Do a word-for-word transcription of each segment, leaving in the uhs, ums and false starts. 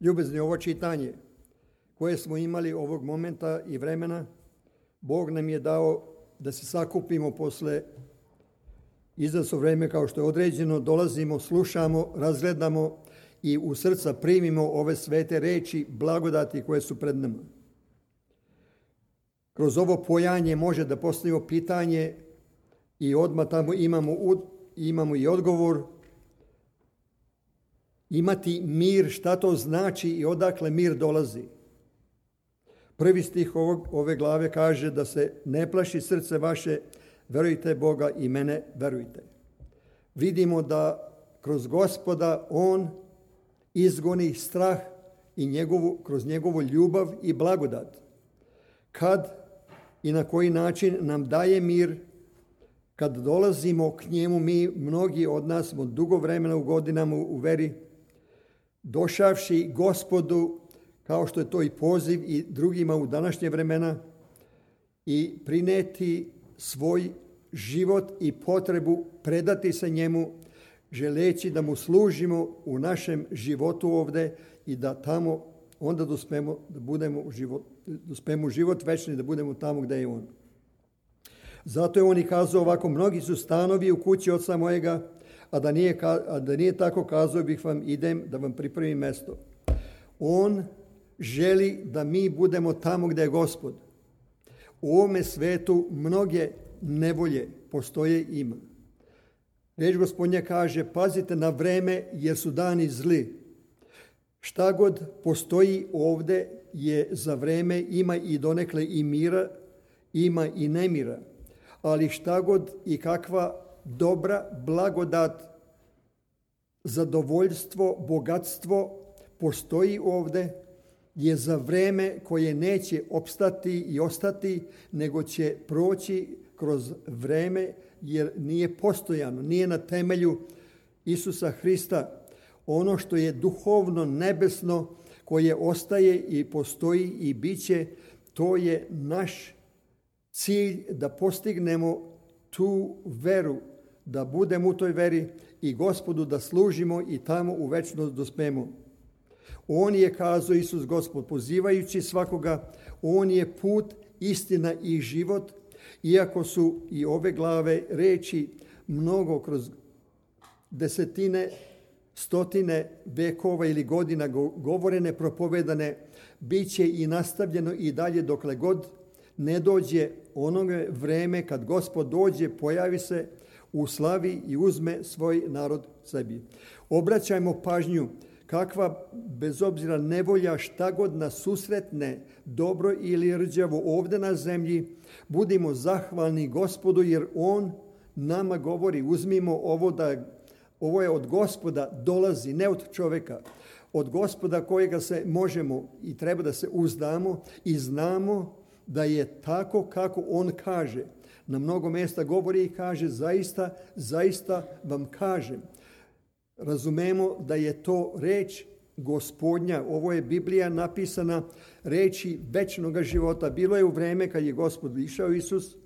Ljubezni, ovo čitanje koje smo imali ovog momenta i vremena, Bog nam je dao da se sakupimo posle izazov vreme kao što je određeno, dolazimo, slušamo, razgledamo i u srca primimo ove svete reči, blagodati koje su pred nama. Kroz ovo pojanje može da postavimo pitanje i odmah tamo imamo, imamo i odgovor. Imati mir, šta to znači i odakle mir dolazi? Prvi stih ovog, ove glave kaže da se ne plaši srce vaše, verujte Boga i mene verujte. Vidimo da kroz Gospoda On izgoni strah i njegovu, kroz njegovu ljubav i blagodat. Kad i na koji način nam daje mir, kad dolazimo k njemu, mi, mnogi od nas smo dugo vremena u godinama u veri, došavši Gospodu, kao što je to i poziv i drugima u današnje vremena, i prineti svoj život i potrebu, predati se njemu, želeći da mu služimo u našem životu ovde i da tamo onda dospemo da budemo u život, dospemo u život večni, da budemo tamo gde je on. Zato je on i kazao ovako: mnogi su stanovi u kući oca mojega, a da nije, a da nije tako, kazao bih vam, idem da vam pripremim mesto. On želi da mi budemo tamo gde je Gospod. U ovome svetu mnoge nevolje postoje i ima. Reč Gospodnja kaže: pazite na vreme jer su dani zli. Šta god postoji ovde je za vreme, ima i donekle i mira, ima i nemira. Ali šta god i kakva dobra blagodat, zadovoljstvo, bogatstvo postoji ovde, je za vreme koje neće opstati i ostati, nego će proći kroz vreme, jer nije postojano, nije na temelju Isusa Hrista. Ono što je duhovno, nebesno, koje ostaje i postoji i bit će, to je naš cilj, da postignemo tu veru, da budemo u toj veri i Gospodu da služimo i tamo u večnost dospemo. On je, kazao Isus Gospod, pozivajući svakoga, on je put, istina i život, iako su i ove glave reči mnogo kroz desetine, stotine vekova ili godina govorene, propovedane, bit će i nastavljeno i dalje dokle god ne dođe onoga vreme kad Gospod dođe, pojavi se u slavi i uzme svoj narod sebi. Obraćajmo pažnju kakva, bez obzira nevolja, šta god nas susretne, dobro ili rđavo ovde na zemlji, budimo zahvalni Gospodu jer On nama govori: uzmimo ovo, da ovo je od Gospoda dolazi, ne od čoveka. Od Gospoda kojega se možemo i treba da se uzdamo i znamo da je tako kako On kaže. Na mnogo mjesta govori i kaže: zaista, zaista vam kažem. Razumemo da je to reč Gospodnja. Ovo je Biblija napisana reči večnog života. Bilo je u vreme kad je Gospod išao Isus,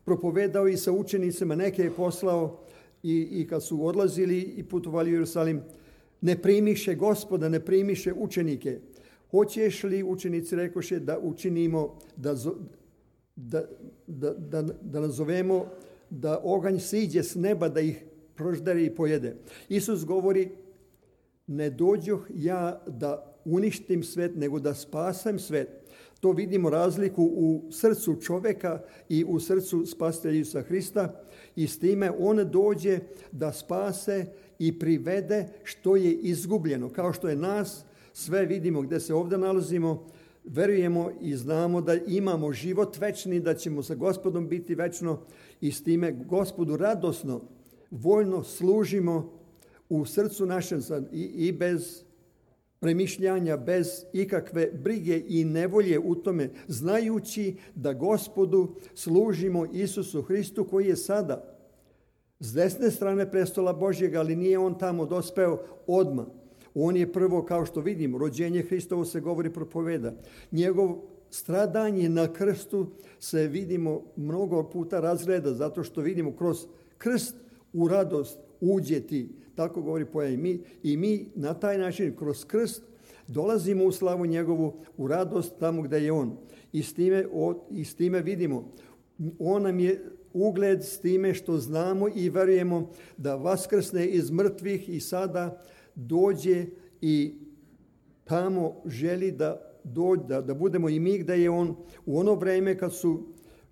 propovedao i sa učenicima, neke je poslao i, i kad su odlazili i putovali u Jerusalim, ne primiše Gospoda, ne primiše učenike. Hoćeš li, učenici rekoše, da učinimo, da, da, da, da, da nazovemo da oganj siđe s neba, da ih proždere i pojede. Isus govori: ne dođoh ja da uništim svet, nego da spasem svet. To vidimo razliku u srcu čoveka i u srcu spasitelja Isusa Hrista, i s time on dođe da spase i privede što je izgubljeno. Kao što je nas, sve vidimo gdje se ovdje nalazimo, verujemo i znamo da imamo život večni, da ćemo sa Gospodom biti večno, i s time Gospodu radosno, voljno služimo u srcu našem i, i bez premišljanja, bez ikakve brige i nevolje u tome, znajući da Gospodu služimo Isusu Hristu koji je sada s desne strane prestola Božjega, ali nije on tamo dospeo odmah. On je prvo, kao što vidimo, rođenje Hristovo se govori, propoveda. Njegov stradanje na krstu se, vidimo, mnogo puta razgleda, zato što vidimo kroz krst u radost uđe ti. Tako govori pojam. I mi, i mi na taj način kroz krst dolazimo u slavu njegovu, u radost tamo gdje je on. I s time, i s time vidimo, on nam je ugled s time što znamo i verujemo da vaskrsne iz mrtvih i sada dođe i tamo želi da dođe, da, da budemo i mi gdje je on, u ono vrijeme kad su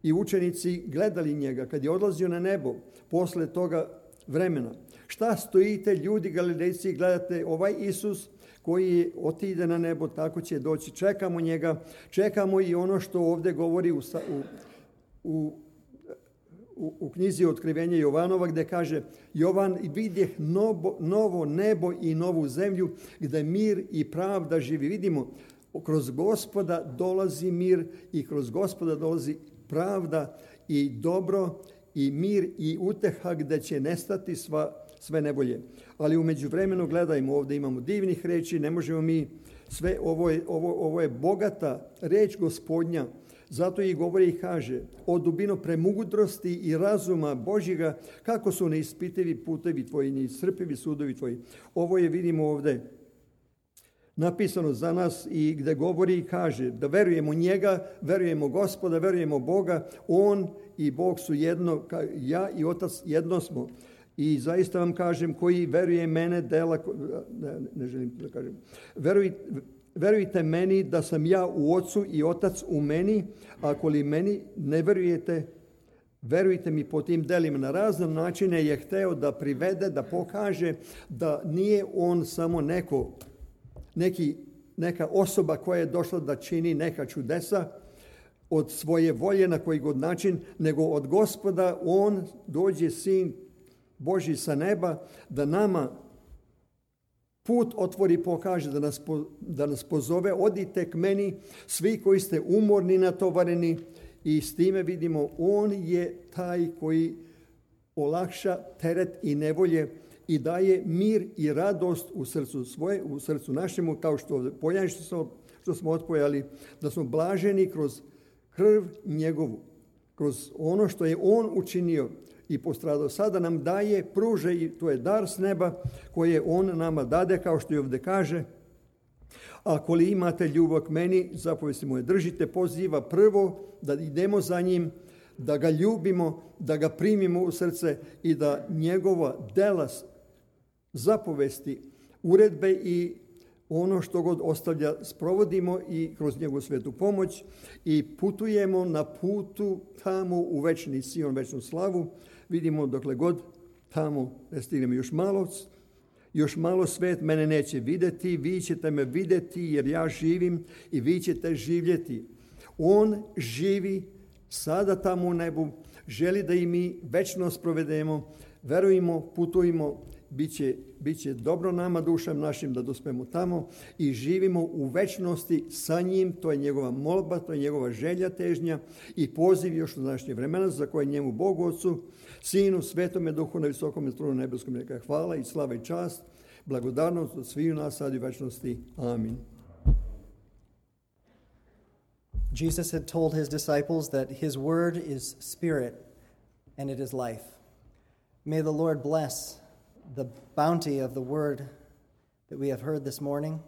i učenici gledali njega, kad je odlazio na nebo, posle toga vremena. Šta stojite ljudi Galilejci i gledate ovaj Isus koji otide na nebo, tako će doći. Čekamo njega, čekamo i ono što ovdje govori u, u, u, u, u knjizi Otkrivenja Jovanova, gdje kaže Jovan, vidjeh novo, novo nebo i novu zemlju gdje mir i pravda živi. Vidimo, kroz Gospoda dolazi mir i kroz Gospoda dolazi pravda i dobro i mir i uteha gdje će nestati sva, sve nevolje. Ali u međuvremenu gledajmo, ovdje imamo divnih reči, ne možemo mi sve, ovo je, ovo, ovo je bogata reč Gospodnja, zato i govori i kaže o dubino premudrosti i razuma Božjega, kako su neispitivi putevi tvoji, neiscrpivi sudovi tvoji. Ovo je, vidimo ovdje, napisano za nas i gdje govori i kaže da verujemo njega, verujemo Gospoda, verujemo Boga, on i Bog su jedno, ja i Otac jedno smo. I zaista vam kažem, koji veruje mene, dela, ne, ne želim da kažem, veruj, verujte meni da sam ja u Ocu i Otac u meni, ako li meni ne verujete, verujte mi po tim delima. Na razne načine je hteo da privede, da pokaže da nije on samo neko, neki, neka osoba koja je došla da čini neka čudesa od svoje volje na koji god način, nego od Gospoda on dođe sin Božji sa neba da nama put otvori, pokaže, da nas, da nas pozove, odite k meni, svi koji ste umorni, natovareni, i s time vidimo, on je taj koji olakša teret i nevolje i daje mir i radost u srcu svoje, u srcu našemu, kao što pojani što smo, što smo otpojali, da smo blaženi kroz krv njegovu, kroz ono što je on učinio i postradao. Sada nam daje, pruže, i to je dar s neba koje on nama dade, kao što i ovdje kaže. Ako li imate ljubav k meni, zapovesti moje držite, poziva prvo da idemo za njim, da ga ljubimo, da ga primimo u srce i da njegova dela, zapovesti, uredbe i ono što god ostavlja sprovodimo i kroz njegovu svetu pomoć i putujemo na putu tamo u večni Sion, večnu slavu. Vidimo dokle god tamo ne stignemo još malo, još malo svet mene neće vidjeti, vi ćete me vidjeti jer ja živim i vi ćete živjeti. On živi sada tamo u nebu, želi da i mi večnost provedemo, verujemo, putujemo, bit će, bit će dobro nama, dušam našim, da dospemo tamo i živimo u večnosti sa njim. To je njegova molba, to je njegova želja, težnja i poziv još u današnje vremena, za koje njemu Bogu Otcu, Sinu, Svetome Duhu na visokom tronu nebeskom neka hvala i slava i čast, blagodarnost od sviju nas sad i u večnosti. Amin. Jesus had told his disciples that his word is spirit and it is life. May the Lord bless the bounty of the word that we have heard this morning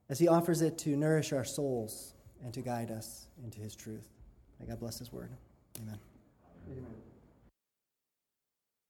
as he offers it to nourish our souls and to guide us into his truth. May God bless his word. Amen. Amen.